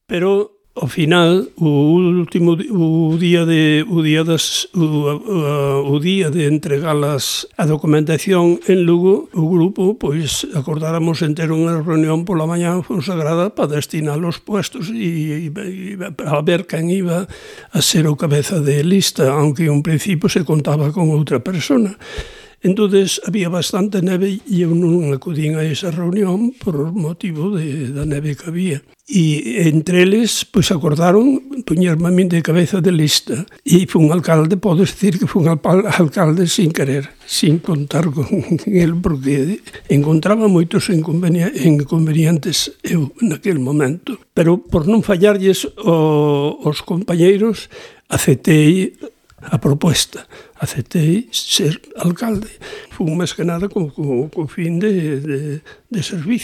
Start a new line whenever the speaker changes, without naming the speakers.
Pero ao final, o día de entregar a documentación en Lugo, o grupo, pois, acordáramos en ter unha reunión pola mañá consagrada para destinar os puestos e a ver quen iba a ser o cabeza de lista, aunque en un principio se contaba con outra persona. Entonces había bastante neve e eu non acudín a esa reunión por motivo da neve que había. E entre eles, pois acordaron poñerme a min de cabeza de lista. E fun alcalde, podo decir que fun alcalde sin querer, sin contar con el, porque encontraba moitos inconvenientes eu naquele momento. Pero por non fallarlles aos compañeiros, aceptei a proposta. Aceptei ser alcalde. Fun máis que nada co fin de servicio.